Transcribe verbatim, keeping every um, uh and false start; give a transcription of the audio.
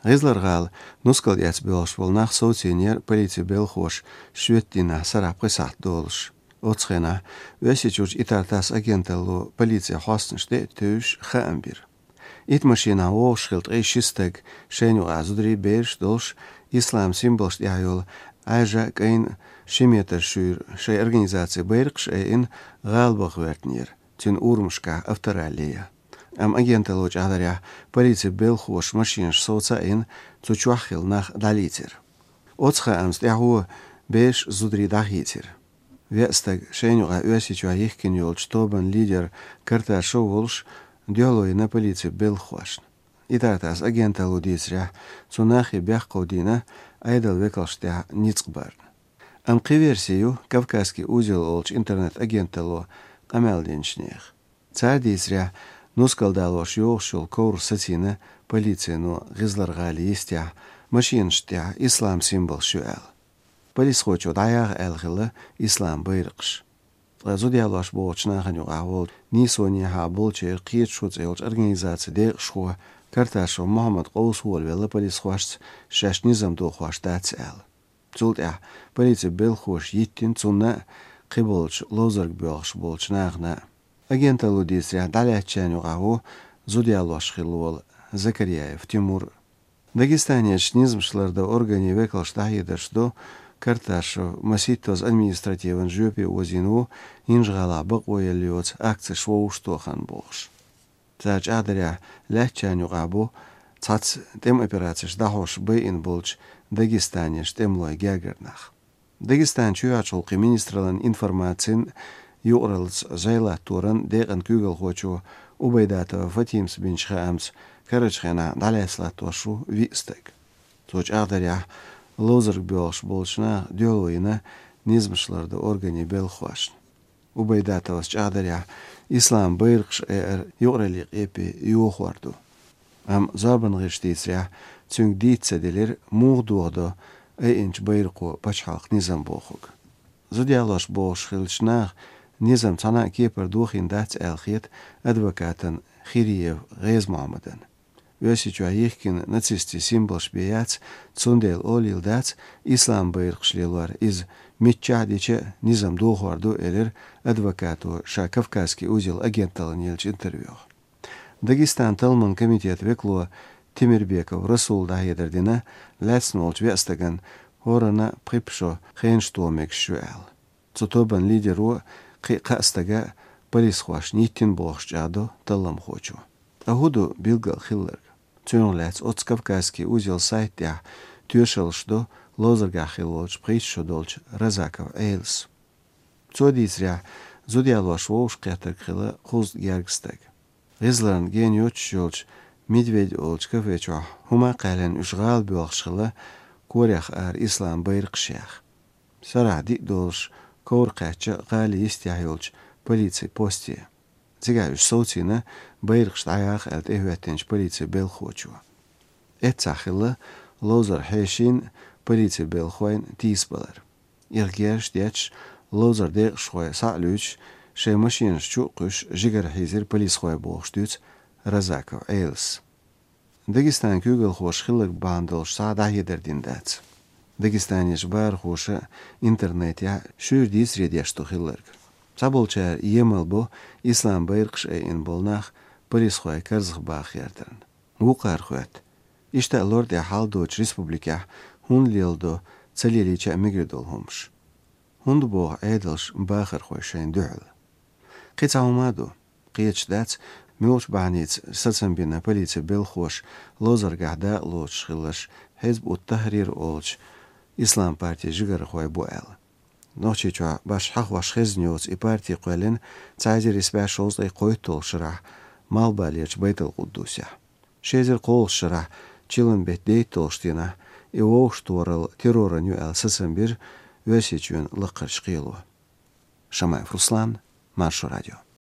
ГӀизлар-гӀала нускал тӀа боьлхуш болу нах совцийнера полицин белхахоша шоьтан дийнахь сарахь пхи сахьт долуш. Оцу хенахь Оьрсийчуьрчу Итар-Тасс агенталло полицин хьостанаш тӀе а тевжаш хаам бира. Итт машинахь вогӀуш хилла ткъе ши стаг, шайна юкъахь зударий, бераш долуш, ислам символаш тӀехь йолу Ӏаьржа а, кӀайн а ши метр шуьйра шайн организацин байракхаш айина, гӀалабаха гӀоьртинера, цуьнан урамашкахь авторалли ян. Амма агенталло чӀагӀдарехь, полицин белхахоша машинаш совца а йина, цу чохь хилла нах дӀалийцира. Оцу хаамца тӀаьхьо бераш, зударий дӀахийцира. Веа стаг шайна юкъахь Оьрсийчохь йихкина йолчу тобанан лидер Карташов волуш дуьхьало йина полицин белхахошна. Итар-Тасс агенталло дийцарехь, цу нахе бехк хьовдийна Ӏедалан векалшна тӀехь ницкъ барна. Амма кхин верси ю «Кавказский узел» олучу интернет-агенталло къамел динчу нехан. Цара дийцарехь, нускал далош йогӀуш йолу ковр сацийна полицино ГӀизлар-гӀалин йистехь, машинашна тӀехь ислам символаш ю аьлла. Полисхочо дӀаяха аьлла хилла ислам байракхаш. Ткъа зуда ялош богӀучу нахана юкъахь волчу «Нийсо-Нехьа болчеран кхеташо» цӀе йолчу организацин декъашхо Карташов Мухьаммад къовса волавелла полисхошца, шаьш низам дохош дац аьлла. Цул тӀаьхьа полицин белхахоша йиттина цунна а, кхиболчу ловзарга боьлхуш болчу нахана а. Агенталло дийцарехь, дӀалаьцначарна юкъахь ву зуда ялош хилла волу Закарьяев Тимур а. Дагестанерчу низамаш лардан органийн векалша дӀахьедарш до, Карташов масийттазза административан жоьпе озийна ву, ХӀинжа-ГӀалахь бакъо елла йоцу акцеш вовшахтоха хан бохуш. Цара чӀагӀдарехь, лаьцначарна юкъахь бу цхьацца тӀеман операцеш дӀахьош байина болчу Дагестанерчу тӀемалойн гергара нах. Дагестанан чоьхьарчу гӀуллакхийн министраллан информацин, юкъараллица зӀе латторан декъан куьйгалхочо Убайдатова Фатимас бинчу хаамца, карарчу хенахь дӀалаьцна латтош ву виъ стаг. Цо чӀагӀдарехь, ловзарга боьлхуш болчу наха дуьхьало йина низамаш лардан органийн белхахошна. Убайдатовас чӀагӀдарехь, ислам байракхаш айар юкъараллин къепе йохор ду. Амма зорбанан гӀирсаша дийцарехь, цуьнга дийца ца делира, муха дохадо айинчу байракхо пачхьалкхан низам бохург. Зуда ялош богӀуш хиллачу наха низам цхьана а кепара дохийна дац аьлла хета адвокатана Хириев ГӀеза-Мухьаммадана. Оьрсийчохь йихкина нацистийн символаш бен яц, цундела олийла дац ислам байракхаш лелор, иза миччахь а дича а низам дохор ду, элира адвокато ша «Кавказский узел» агенталлина еллачу интервьюхь. Дагестанан талламан комитетан векало Темирбеков Расула дӀахьедар дина, лаьцна волчу веа стагана хӀоранна а пхи-пхи шо хенаш тоха мегаш ю аьлла. Цу тобанан лидеро кхин а кхаа стага полисхошна йиттина бохуш чӀагӀдо талламхочо. Ткъа хӀун ду билггал хилларг? Цунах лаьцна оцу «Кавказский узел» сайта тӀехь тоьшаллаш до ловзаргахь хилла волчу пхийтта шо долчу Разаков Ӏелас. Цо дийцарехь, зуда ялош вовшахкхеттарг хилла кхузткъа герга стаг. ГӀизларна гена йоццуш йолчу «Медведь» олучу кафе чохь хӀума а кхаьллина, уьш гӀала боьлхуш хилла, корах ара ислам байракхаш яьхна. Сарахь диъ долуш ковр кхаьчна гӀалин йистехь йолчу полицин посте. Цигахь уьш совцийна, байракхаш дӀаяха аьлла тӀехӀоьттинчу полицин белхахочо. Эццахь хилла ловзар хьешийн а, полицин белхахойн а тийсабалар. Ирх герзаш детташ, ловзар декъашхой схьа а луьйчуш, шайн машинаш чу а кхуьссуш, жигара хьийзира полисхой, бохуш дуьйцу Разаков Ӏелас. Дагестанан куьйгалхоша хилларг бахьана долуш цхьа а дӀахьедар дина дац. Дагестанерчу бахархоша интернетехь шуьйра дийцаре деш ду хилларг. Цхьаболчара емал бо ислам байракхаш айина болу нах полисхойн карзахбаха гӀертарна. Вукхара хоьтту: иштта а лор тӀехь хьал доцучу республикехь хӀунда леладо ца лелийча а мегар долу хӀумаш? ХӀунда боху Ӏедалша бахархой шайна дуьхьал? Кхин цхьа хӀума а ду. Кхеташ дац, муьлхачу бахьаница сацам бина полицин белхахоша ловзаргахь дакъа лоцуш хилларш Хьизб ут-Тахьрир олучу ислам партин жигархой бу аьлла. Нохчийчохь башха хьахош хезна йоцу и парти кхоьллина цхьа эзар исс бӀе шовзткъе кхойтталгӀачу шарахь Малхбалерчу Байтал-Къуддусехь. Ши эзар кхоалгӀачу шарахь чиллан беттан дейтталгӀачу дийнахь и вовшахтохаралла терроран ю аьлла сацам бира Оьрсийчоьнан лакхарчу кхело. Шамаев Руслан, Маршо радио.